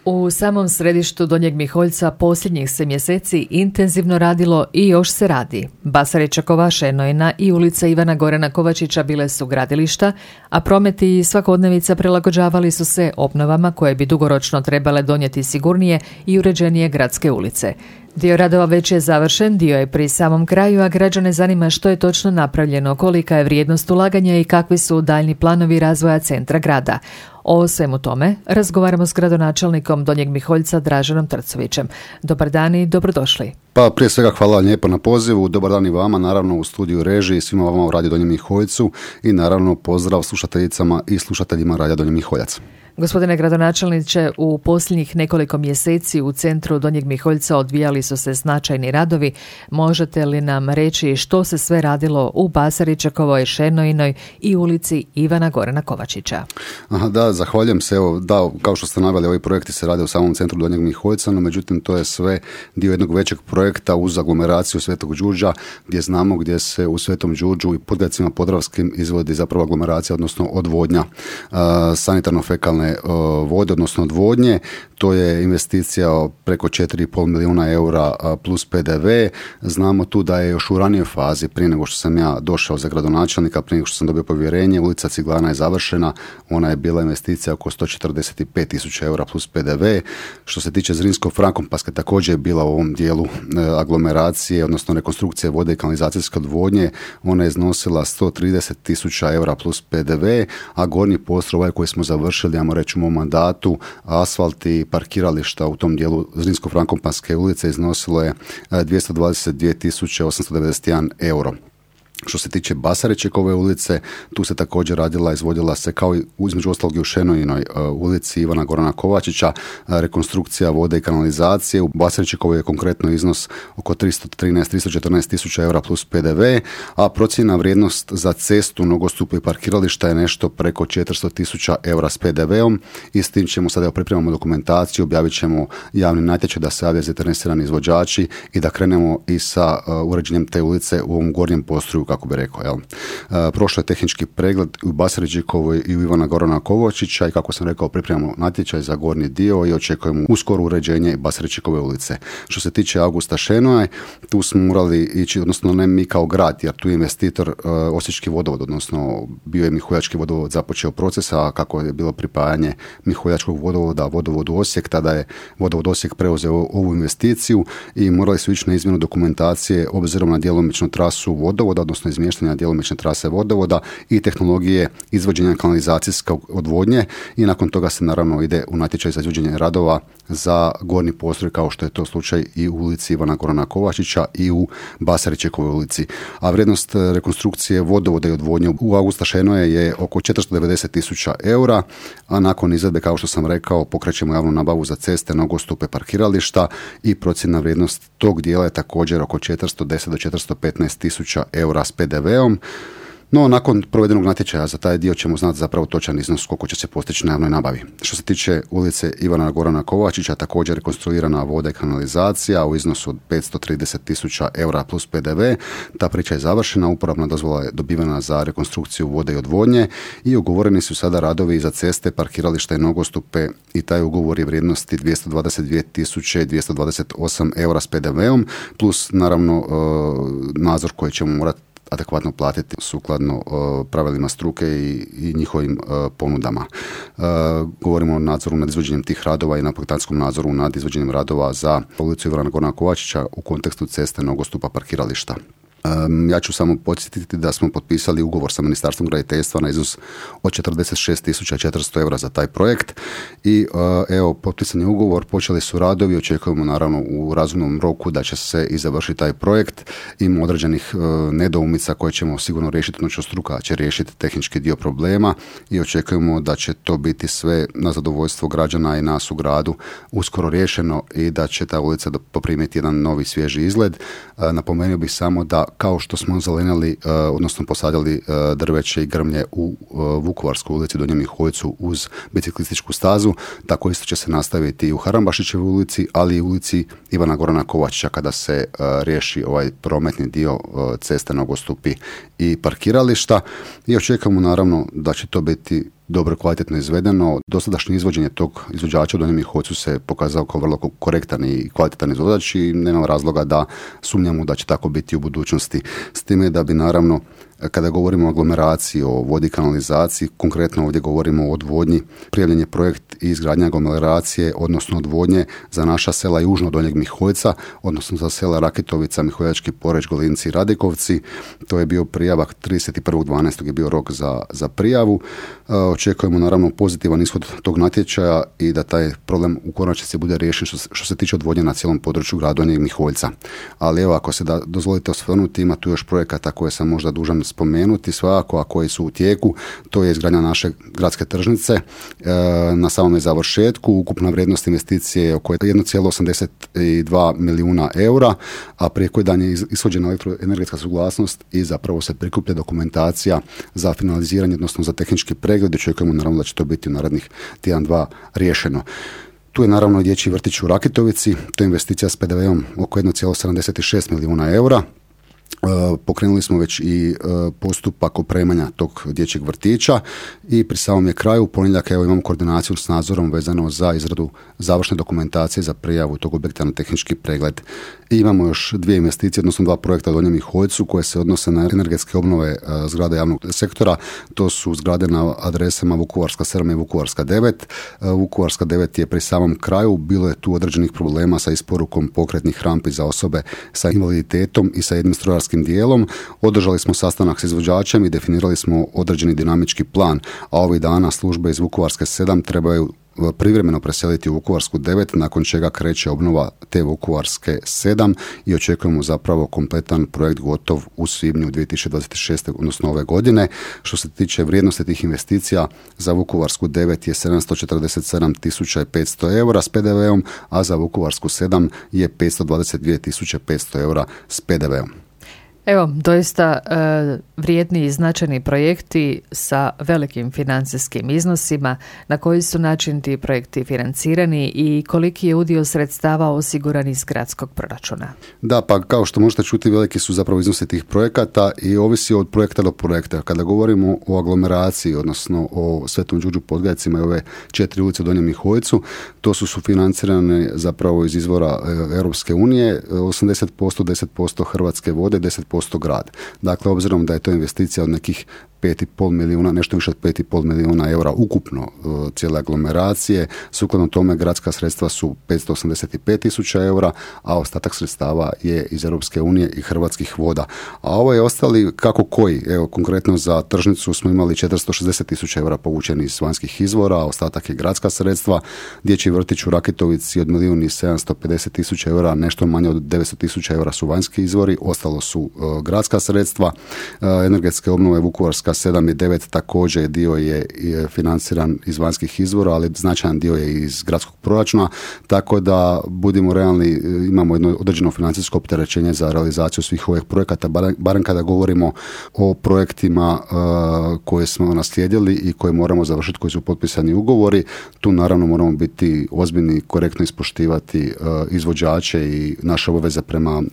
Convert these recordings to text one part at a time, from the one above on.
U samom središtu Donjeg Miholjca posljednjih se mjeseci intenzivno radilo i još se radi. Basaričakova, Šenojna i ulica Ivana Gorana Kovačića bile su gradilišta, a promet i svakodnevica prilagođavali su se obnovama koje bi dugoročno trebale donijeti sigurnije i uređenije gradske ulice. Dio radova već je završen, dio je pri samom kraju, a građane zanima što je točno napravljeno, kolika je vrijednost ulaganja i kakvi su daljni planovi razvoja centra grada. O svemu tome razgovaramo s gradonačelnikom Donjeg Miholjca Draženom Trcovićem. Dobar dan i dobrodošli. Pa prije svega hvala lijepo na pozivu, dobar dan i vama, naravno u studiju režiji, svima vama u Radio Donjem Miholjcu i naravno pozdrav slušateljicama i slušateljima Radio Donji Miholjac. Gospodine gradonačelniče, u posljednjih nekoliko mjeseci u centru Donjeg Miholjca odvijali su se značajni radovi. Možete li nam reći što se sve radilo u Basaričakovoj, Šenojnoj i ulici Ivana Gorana Kovačića? Da, zahvaljujem se. Evo, da, kao što ste naveli, ovi projekti se rade u samom centru Donjeg Miholjca, no međutim to je sve dio jednog većeg projekta uz aglomeraciju Svetog Đurđa, gdje znamo gdje se u Svetom Đurđu i Podgajcima Podravskim izvodi zapravo aglomeracija, odnosno odvodnja sanitarno-fekalne vode, odnosno odvodnje. To je investicija preko 4,5 milijuna eura plus PDV. Znamo tu da je još u ranijoj fazi, prije nego što sam ja došao za gradonačelnika, prije nego što sam dobio povjerenje, ulica Ciglana je završena. Ona je bila investicija oko 145.000 eura plus PDV. Što se tiče Zrinsko-Frankopanske, također je bila u ovom dijelu aglomeracije, odnosno rekonstrukcije vode i kanalizacijske odvodnje. Ona je iznosila 130.000 eura plus PDV, a gornji postroj ovaj koji smo završili, ajmo reći u mom mandatu, asfalt i parkirališta u tom dijelu Zrinsko-Frankopanske ulice iznosilo je 222.891 euro. Što se tiče Basaričekove ulice, tu se također radila, izvodila se kao i između ostalog i u Šenojnoj ulici Ivana Gorana Kovačića rekonstrukcija vode i kanalizacije. U Basaričekovoj je konkretno iznos oko 314.000 eura plus PDV, a procjena vrijednost za cestu, nogostup i parkirališta je nešto preko 400.000 eura s PDV-om i s tim ćemo sada pripremamo dokumentaciju, objavit ćemo javni natječaj da se javljaju zainteresirani izvođači i da krenemo i sa uređenjem te ulice u ovom gornjem postroju, kako bi rekao. Jel? Prošlo je tehnički pregled u Basaričekovoj i u Ivana Gorana Kovačića i kako sam rekao pripremamo natječaj za gornji dio i očekujemo uskoro uređenje Basaričekove ulice. Što se tiče Augusta Šenoje, tu smo morali ići, odnosno ne mi kao grad, jer tu je investitor Osječki vodovod, odnosno bio je Miholjački vodovod započeo proces, a kako je bilo pripajanje Miholjačkog vodovoda vodovodu Osijek, tada je vodovod Osijek preuzeo ovu investiciju i morali su ići na izmjenu dokumentacije obzirom na djelomičnu trasu vodovoda, odnosno izmještanja djelomične trase vodovoda i tehnologije izvođenja kanalizacijske odvodnje i nakon toga se naravno ide u natječaj za izvođenje radova za gornji postroj kao što je to slučaj i u ulici Ivana Gorana Kovačića i u Basaričekovoj ulici. A vrijednost rekonstrukcije vodovoda i odvodnje u Augusta Šenoje je oko 490.000 eura, a nakon izvedbe, kao što sam rekao, pokrećemo javnu nabavu za ceste, nogostupe, parkirališta i procjena vrijednost tog dijela je također oko 410 do 415.000 eura s PDV-om. No, nakon provedenog natječaja za taj dio ćemo znati zapravo točan iznos koliko će se postići na javnoj nabavi. Što se tiče ulice Ivana Gorana Kovačića, također rekonstruirana voda i kanalizacija u iznosu od 530.000 eura plus PDV. Ta priča je završena, uporabna dozvola je dobivena za rekonstrukciju vode i odvodnje i ugovoreni su sada radovi za ceste, parkirališta i nogostupe i taj ugovor je vrijednosti 222.228 eura s PDV-om plus naravno nadzor koji ćemo morati adekvatno platiti sukladno pravilima struke i njihovim ponudama. Govorimo o nadzoru nad izvođenjem tih radova i na projektantskom nadzoru nad izvođenjem radova za ulicu Ivana Gorana Kovačića u kontekstu ceste, nogostupa, parkirališta. Ja ću samo podsjetiti da smo potpisali ugovor sa Ministarstvom graditeljstva na iznos od 46.400 eura za taj projekt i evo, potpisan je ugovor, počeli su radovi, očekujemo naravno u razumnom roku da će se i završiti taj projekt. Ima određenih nedoumica koje ćemo sigurno riješiti, odnosno struka će riješiti tehnički dio problema i očekujemo da će to biti sve na zadovoljstvo građana i nas u gradu uskoro riješeno i da će ta ulica poprimiti jedan novi svježi izgled. Napomenuo bih samo da kao što smo zelenili, odnosno posadili drveće i grmlje u Vukovarskoj ulici Donjem Miholjcu uz biciklističku stazu, tako isto će se nastaviti i u Harambašićevoj ulici, ali i u ulici Ivana Gorana Kovačića kada se riješi ovaj prometni dio ceste, nogostupi i parkirališta. I očekujemo naravno da će to biti dobro kvalitetno izvedeno. Dosadašnje izvođenje tog izvođača u Donjem Miholjcu se pokazao kao vrlo korektan i kvalitetan izvođač i nema razloga da sumnjamo da će tako biti u budućnosti. S time da bi naravno, kada govorimo o aglomeraciji, o vodi i kanalizaciji, konkretno ovdje govorimo o odvodnji, prijavljen je projekt i izgradnja aglomeracije, odnosno odvodnje za naša sela južno Donjeg Miholjca, odnosno za sela Rakitovica, Miholjački Poreć, Golinci i Radikovci. To je bio prijavak 31.12. je bio rok za prijavu. Očekujemo naravno pozitivan ishod tog natječaja i da taj problem u konačnici bude riješen što se tiče odvodnje na cijelom području grada Donjeg Miholjca. Ali evo, ako se dozvolite osvrnuti, ima tu još projekata koje sam možda dužan spomenuti svakako, a koji su u tijeku. To je izgradnja naše gradske tržnice na samome završetku. Ukupna vrijednost investicije je oko 1,82 milijuna eura, a prije koji dan je ishođena elektroenergetska suglasnost i zapravo se prikuplja dokumentacija za finaliziranje, odnosno za tehnički pregled. Očekujemo naravno da će to biti u narednih tjedan, dva riješeno. Tu je naravno dječji vrtić u Rakitovici, to je investicija s PDV-om oko 1,76 milijuna eura. Pokrenuli smo već i postupak opremanja tog dječjeg vrtića i pri samom je kraju, u ponedjeljak imamo koordinaciju s nadzorom vezano za izradu završne dokumentacije za prijavu tog objekta na tehnički pregled. I imamo još dvije investicije, odnosno dva projekta u Donjem Miholjcu koje se odnose na energetske obnove zgrada javnog sektora. To su zgrade na adresama Vukovarska 7 i Vukovarska 9. Vukovarska 9 je pri samom kraju, bilo je tu određenih problema sa isporukom pokretnih rampi za osobe sa invaliditetom i sa jednim strojarskim dijelom. Održali smo sastanak s izvođačem i definirali smo određeni dinamički plan, a ovih dana službe iz Vukovarske 7 trebaju privremeno preseliti u Vukovarsku 9, nakon čega kreće obnova te Vukovarske 7 i očekujemo zapravo kompletan projekt gotov u svibnju 2026. odnosno ove godine. Što se tiče vrijednosti tih investicija, za Vukovarsku 9 je 747.500 eura s PDV-om, a za Vukovarsku 7 je 522.500 eura s PDV-om. Evo, doista vrijedni i značajni projekti sa velikim financijskim iznosima. Na koji su način ti projekti financirani i koliki je udio sredstava osiguran iz gradskog proračuna? Da, pa kao što možete čuti, veliki su zapravo iznosi tih projekata i ovisi od projekta do projekta. Kada govorimo o aglomeraciji, odnosno o Svetom Đurđu Podgajcima i ove 4 ulice u Donjem Miholjcu, to su sufinancirane zapravo iz izvora Europske unije, 80%, 10% Hrvatske vode, 10% grad. Dakle, obzirom da je to investicija od nekih 5,5 milijuna, nešto više od 5,5 milijuna eura ukupno cijele aglomeracije, sukladno tome gradska sredstva su 585.000 eura, a ostatak sredstava je iz Europske unije i Hrvatskih voda. A ovo je ostali kako koji. Evo, konkretno za tržnicu smo imali 460.000 eura povučeni iz vanjskih izvora, a ostatak je gradska sredstva. Dječji vrtić u Rakitovici od 1.750.000 eura, nešto manje od 900.000 eura su vanjski izvori, ostalo su gradska sredstva. Energetske obnove Vukovarska 7 i 9 također dio je financiran iz vanjskih izvora, ali značajan dio je iz gradskog proračuna, tako da budimo realni, imamo jedno određeno financijsko opterećenje za realizaciju svih ovih projekata, barem kada govorimo o projektima koje smo naslijedili i koje moramo završiti, koji su potpisani ugovori. Tu naravno moramo biti ozbiljni, korektno ispoštivati izvođače i naše obaveze prema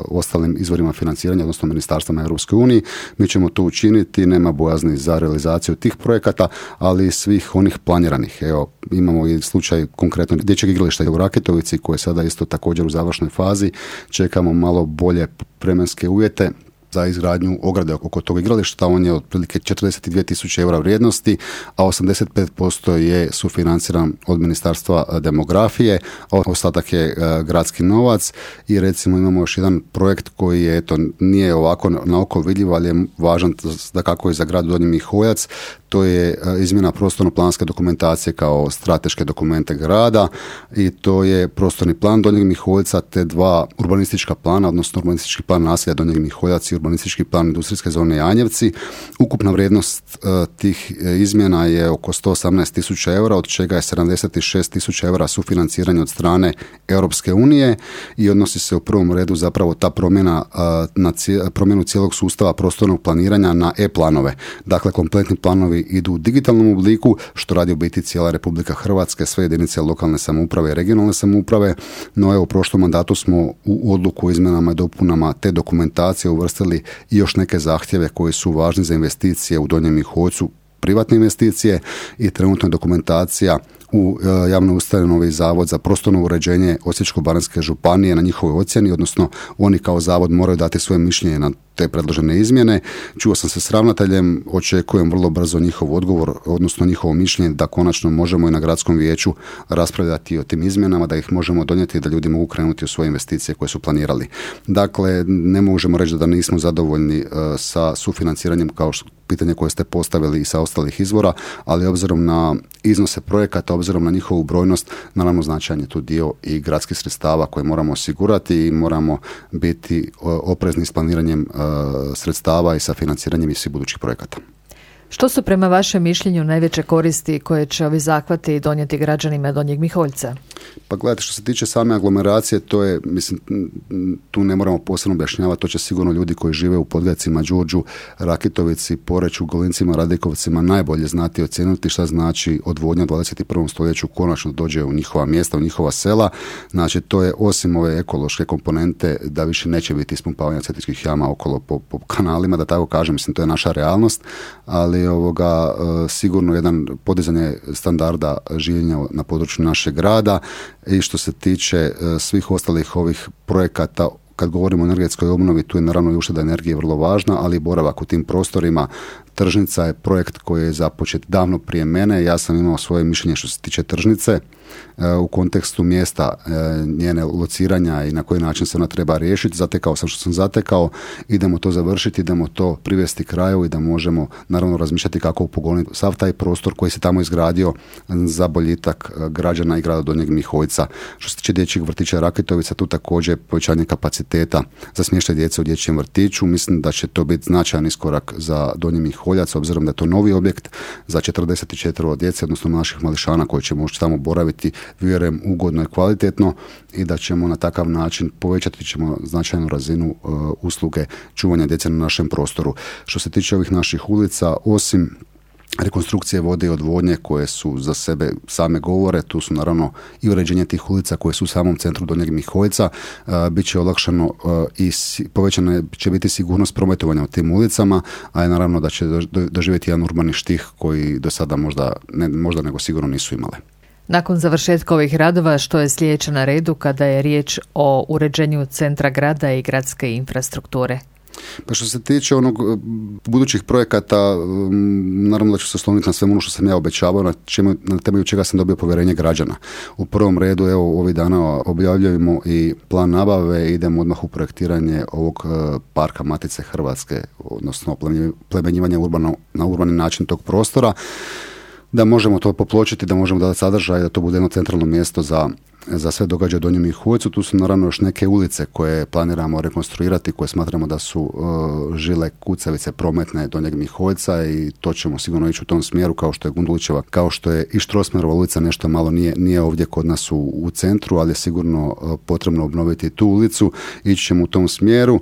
ostalim izvorima financiranja, odnosno ministarstvima Europske unije. Mi ćemo to učiniti, nema bojazni za realizaciju tih projekata, ali i svih onih planiranih. Evo, imamo i slučaj konkretno dječjeg igrališta u Rakitovici koje je sada isto također u završnoj fazi. Čekamo malo bolje vremenske uvjete za izgradnju ograde oko tog igrališta. On je otprilike 42.000 eura vrijednosti, a 85% je sufinanciran od Ministarstva demografije, a ostatak je gradski novac. I recimo imamo još jedan projekt koji je, nije ovako na oko vidljiv, ali je važan da kako je za grad Donji Miholjac. To je izmjena prostorno-planske dokumentacije kao strateške dokumente grada i to je prostorni plan Donjeg Miholjca te dva urbanistička plana, odnosno urbanistički plan naselja Donjeg Miholjac i urbanistički plan industrijske zone Janjevci. Ukupna vrijednost tih izmjena je oko 118.000 eura, od čega je 76.000 eura sufinanciranje od strane Europske unije i odnosi se u prvom redu zapravo ta promjena na promjenu cijelog sustava prostornog planiranja na e-planove. Dakle, kompletni planovi idu u digitalnom obliku, što radi u biti cijela Republika Hrvatska, sve jedinice lokalne samouprave i regionalne samouprave, no evo u prošlom mandatu smo u odluku o izmjenama i dopunama te dokumentacije uvrstili i još neke zahtjeve koji su važni za investicije u Donjem Miholjcu, privatne investicije i trenutno je dokumentacija u javnoj ustanovi Zavod za prostorno uređenje Osječko-baranjske županije na njihovoj ocjeni, odnosno oni kao zavod moraju dati svoje mišljenje na te predložene izmjene. Čuo sam se s ravnateljem, očekujem vrlo brzo njihov odgovor, odnosno njihovo mišljenje da konačno možemo i na gradskom vijeću raspravljati o tim izmjenama, da ih možemo donijeti i da ljudi mogu krenuti u svoje investicije koje su planirali. Dakle, ne možemo reći da nismo zadovoljni sa sufinanciranjem kao pitanje koje ste postavili i sa ostalih izvora, ali obzirom na iznose projekata, obzirom na njihovu brojnost, naravno značajan je tu dio i gradskih sredstava koje moramo osigurati i moramo biti oprezni s planiranjem sredstava i sa financiranjem i svih budućih projekata. Što su prema vašem mišljenju najveće koristi koje će ovi zahvati donijeti građanima Donjeg Miholjca? Pa gledajte, što se tiče same aglomeracije, to je, mislim, tu ne moramo posebno objašnjavati, to će sigurno ljudi koji žive u Podgajcima, Đurđu, Rakitovici, Poreču, Golincima, Radikovcima najbolje znati i ocijeniti šta znači odvodnja u 21. stoljeću konačno dođe u njihova mjesta, u njihova sela. Znači, to je osim ove ekološke komponente da više neće biti ispumpavanja septičkih jama okolo po kanalima, da tako kažem, mislim, to je naša realnost, ali sigurno jedan podizanje standarda življenja na području našeg grada. I što se tiče svih ostalih ovih projekata, kad govorimo o energetskoj obnovi, tu je naravno i ušteda energije vrlo važna, ali i boravak u tim prostorima. Tržnica je projekt koji je započet davno prije mene. Ja sam imao svoje mišljenje što se tiče tržnice u kontekstu mjesta, njene lociranja i na koji način se ona treba riješiti. Zatekao sam što sam zatekao, idemo to završiti, idemo to privesti kraju i da možemo naravno razmišljati kako upogoniti sav taj prostor koji se tamo izgradio za boljitak građana i grada Donjeg Miholjca. Što se tiče dječjeg vrtića Rakitovica, tu također povećanje kapaciteta za smještaj djece u dječjem vrtiću. Mislim da će to biti značajan iskorak za Donji Miholjac, obzirom da je to novi objekt za 44 djece, odnosno naših mališana koji će moći tamo boraviti, vjerujem, ugodno i kvalitetno i da ćemo na takav način povećati ćemo značajnu razinu usluge čuvanja djece na našem prostoru. Što se tiče ovih naših ulica, osim rekonstrukcije vode i odvodnje koje su za sebe same govore, tu su naravno i uređenje tih ulica koje su u samom centru Donjeg Miholjca, bit će olakšano i povećana će biti sigurnost prometovanja u tim ulicama, a je naravno da će doživjeti jedan urbani štih koji do sada možda nego sigurno nisu imale. Nakon završetka ovih radova, što je sljedeće na redu kada je riječ o uređenju centra grada i gradske infrastrukture? Pa što se tiče onog budućih projekata, naravno da ću se osloniti na sve ono što sam ja obećavao, na temelju čega sam dobio povjerenje građana. U prvom redu, evo, ovih dana objavljujemo i plan nabave, idemo odmah u projektiranje ovog parka Matice Hrvatske, odnosno plemenjivanje na urbani način tog prostora, da možemo to popločiti, da možemo dati sadržaj, da to bude jedno centralno mjesto za sve događaje u Donjem Miholjcu. Tu su naravno još neke ulice koje planiramo rekonstruirati, koje smatramo da su žile kucavice prometne Donjeg Miholjca i to ćemo sigurno ići u tom smjeru, kao što je Gundulićeva, kao što je i Štrosmerova ulica, nešto malo nije ovdje kod nas u centru, ali je sigurno potrebno obnoviti tu ulicu. Ići ćemo u tom smjeru.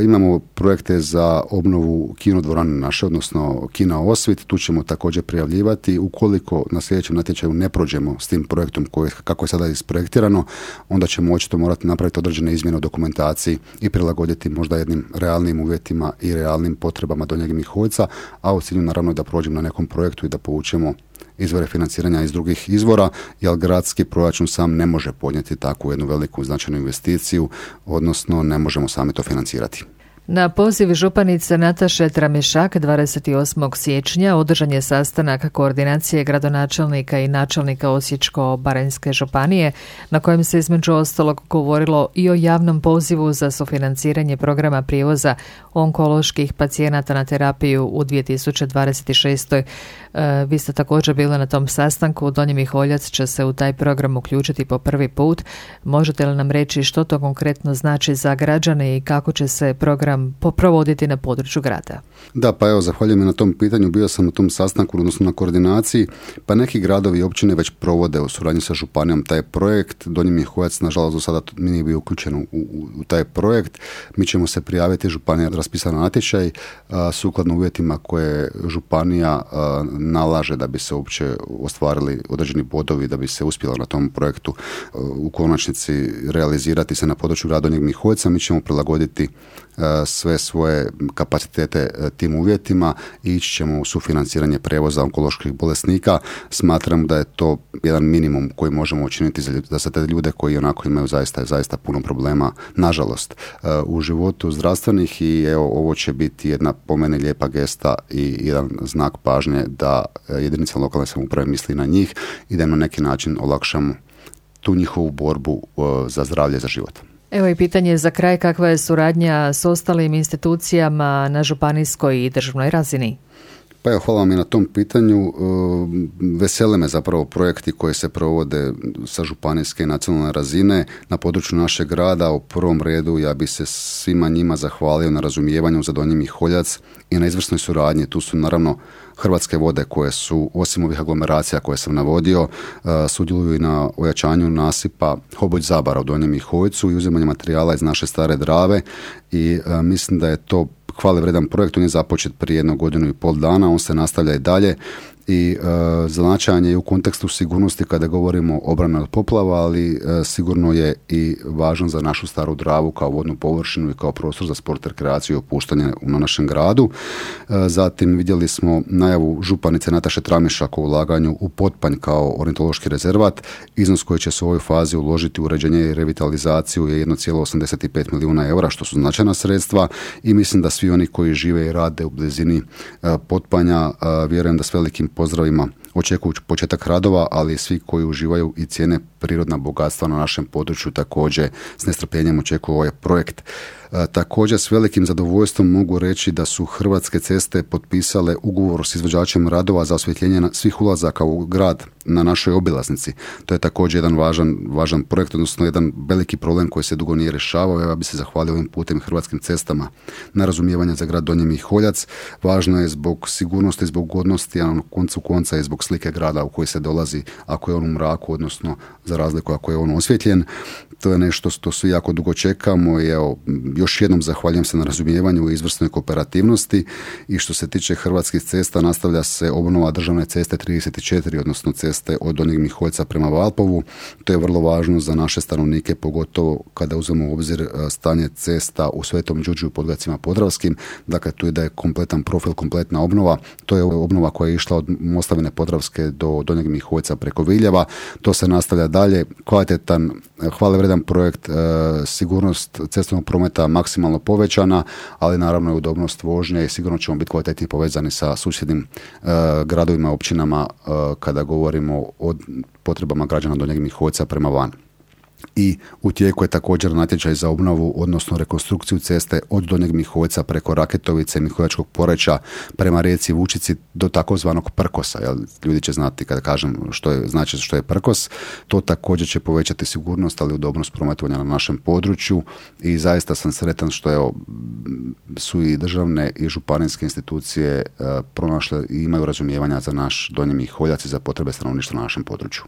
Imamo projekte za obnovu kinodvorane naše, odnosno Kina Osvit, tu ćemo također prijavljivati. Ukoliko na sljedećem natječaju ne prođemo s tim projektom kako je sada isprojektirano, onda ćemo očito morati napraviti određene izmjene u dokumentaciji i prilagoditi možda jednim realnim uvjetima i realnim potrebama Donjeg Miholjca, a u cilju naravno da prođemo na nekom projektu i da povučemo izvore financiranja iz drugih izvora, jer gradski proračun sam ne može podnijeti takvu jednu veliku značajnu investiciju, odnosno ne možemo sami to financirati. Na poziv županice Nataše Tramišak 28. siječnja održan je sastanak koordinacije gradonačelnika i načelnika Osječko-baranjske županije, na kojem se između ostalog govorilo i o javnom pozivu za sufinanciranje programa prijevoza onkoloških pacijenata na terapiju u 2026. Vi ste također bili na tom sastanku. Donji Miholjac će se u taj program uključiti po prvi put. Možete li nam reći što to konkretno znači za građane i kako će se program provoditi na području grada? Da, pa evo, zahvaljujem na tom pitanju. Bio sam na tom sastanku, odnosno na koordinaciji, pa neki gradovi i općine već provode u suradnji sa županijom taj projekt. Donji Miholjac, nažalost, do sada nije bio uključen u taj projekt. Mi ćemo se prijaviti, županija je raspisala natječaj sukladno uvjetima koje županija nalaže da bi se uopće ostvarili određeni bodovi, da bi se uspjelo na tom projektu u konačnici realizirati se na području grada Donjeg Miholjca. Mi ćemo prilagoditi sve svoje kapacitete tim uvjetima i ići ćemo u sufinanciranje prijevoza onkoloških bolesnika. Smatram da je to jedan minimum koji možemo učiniti za te ljude koji onako imaju zaista puno problema, nažalost, u životu zdravstvenih i evo, ovo će biti jedna po meni lijepa gesta i jedan znak pažnje da jedinica lokalne samouprave misli na njih i da im na neki način olakšamo tu njihovu borbu za zdravlje i za život. Evo i pitanje za kraj, kakva je suradnja s ostalim institucijama na županijskoj i državnoj razini? Pa evo, hvala vam i na tom pitanju. Vesele me zapravo projekti koji se provode sa županijske i nacionalne razine na području našeg grada. U prvom redu ja bi se svima njima zahvalio na razumijevanju za Donji Miholjac i na izvrsnoj suradnji. Tu su naravno Hrvatske vode koje su, osim ovih aglomeracija koje sam navodio, sudjeluju i na ojačanju nasipa Hoboj-Zabara u Donjem Miholjcu i uzimanje materijala iz naše stare Drave i mislim da je to hvale vredan projekt. On je započet prije 1,5 godine, on se nastavlja i dalje i značajan je u kontekstu sigurnosti kada govorimo o obrani od poplava, ali sigurno je i važan za našu staru Dravu kao vodnu površinu i kao prostor za sport, rekreaciju i opuštanje na našem gradu. Zatim vidjeli smo najavu županice Nataše Tramišak o ulaganju u Potpanj kao ornitološki rezervat. Iznos koji će se u ovoj fazi uložiti u uređenje i revitalizaciju je 1,85 milijuna eura, što su značajna sredstva i mislim da svi oni koji žive i rade u blizini Potpanja, vjerujem da s velikim pozdravima očekuju početak radova, ali svi koji uživaju i cijene prirodna bogatstva na našem području također s nestrpljenjem očekuju ovaj projekt. Također s velikim zadovoljstvom mogu reći da su Hrvatske ceste potpisale ugovor s izvođačem radova za osvjetljenje svih ulazaka u grad na našoj obilaznici. To je također jedan važan projekt, odnosno jedan veliki problem koji se dugo nije rješavao. Ja bih se zahvalio ovim putem Hrvatskim cestama na razumijevanje za grad Donji Miholjac. Važno je zbog sigurnosti, zbog godnosti, a na koncu konca i zbog slike grada u koji se dolazi ako je on u mraku, odnosno za razliku ako je on osvjetljen. To je nešto što svi jako dugo čekamo i evo, još jednom zahvaljujem se na razumijevanju i izvrsnoj kooperativnosti i što se tiče Hrvatskih cesta nastavlja se obnova državne ceste 34, odnosno ceste od Donjeg Miholjca prema Valpovu. To je vrlo važno za naše stanovnike, pogotovo kada uzmemo u obzir stanje cesta u Svetom Đurđu i Podgajcima Podravskim. Dakle, tu je da je kompletan profil, kompletna obnova. To je obnova koja je išla od Moslavine Podravske do Donjeg Miholjca preko Viljeva. To se nastavlja dalje. Kvalitetan, hvale vredan projekt, sigurnost cestovnog prometa maksimalno povećana, ali naravno i udobnost vožnje i sigurno ćemo biti kvalitetnije povezani sa susjednim gradovima, općinama kada govorimo o potrebama građana Donjeg Miholjca prema van. I u tijeku je također natječaj za obnovu, odnosno rekonstrukciju ceste od Donjeg Miholjca preko Raketovice, Miholjačkog Poreča prema rijeci Vučici do takozvanog Prkosa. Jel? Ljudi će znati kada kažem što je Prkos. To također će povećati sigurnost, ali udobnost prometovanja na našem području i zaista sam sretan što su i državne i županijske institucije pronašle i imaju razumijevanja za naš Donji Miholjac i za potrebe stanovništva na našem području.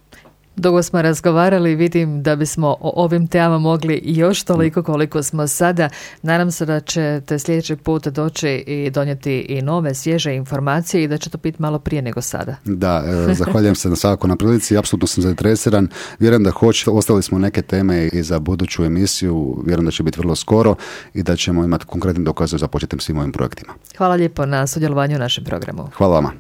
Dugo smo razgovarali, vidim da bismo o ovim temama mogli još toliko koliko smo sada. Nadam se da ćete sljedeći put doći i donijeti i nove, svježe informacije i da će to biti malo prije nego sada. Da, zahvaljujem se svakako na prilici, apsolutno sam zainteresiran. Vjerujem da ostali smo neke teme i za buduću emisiju, vjerujem da će biti vrlo skoro i da ćemo imati konkretne dokaze za početem svim ovim projektima. Hvala lijepo na sudjelovanju u našem programu. Hvala vama.